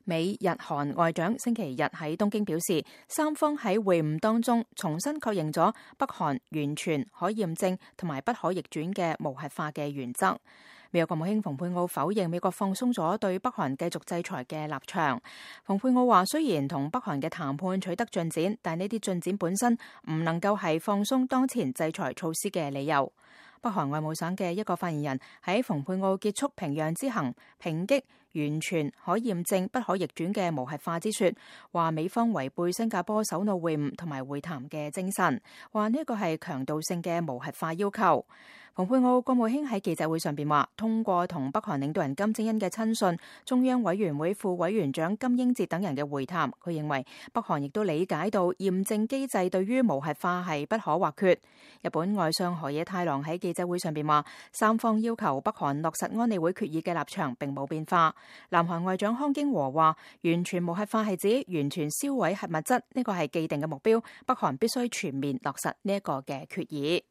美日韓外長星期日喺東京表示，三方喺會晤當中重新確認咗北韓完全可驗證同埋不可逆轉嘅無核化嘅原則。美國國務卿蓬佩奧否認美國放鬆咗對北韓繼續制裁嘅立場。蓬佩奧話，雖然同北韓嘅談判取得進展，但呢啲進展本身唔能夠係放鬆當前制裁措施嘅理由。北韓外務省嘅一個發言人喺蓬佩奧結束平壤之行，抨擊完全可驗證不可逆轉嘅無核化之說，話美方違背新加坡首腦會晤同埋會談嘅精神，話呢個係強導性嘅無核化要求。蓬佩奧國務卿喺記者會上邊話，通過同北韓領導人金正恩嘅親信、中央委員會副委員長金英哲等人嘅會談，佢認為北韓亦都理解到驗證機制對於無核化係不可或缺。日本外相河野太郎喺記者會上邊話，三方要求北韓落實安理會決議嘅立場並冇變化。南韓外長康京和話，完全無核化係指完全銷毀核物質，呢個係既定嘅目標，北韓必須全面落實呢一個嘅決議。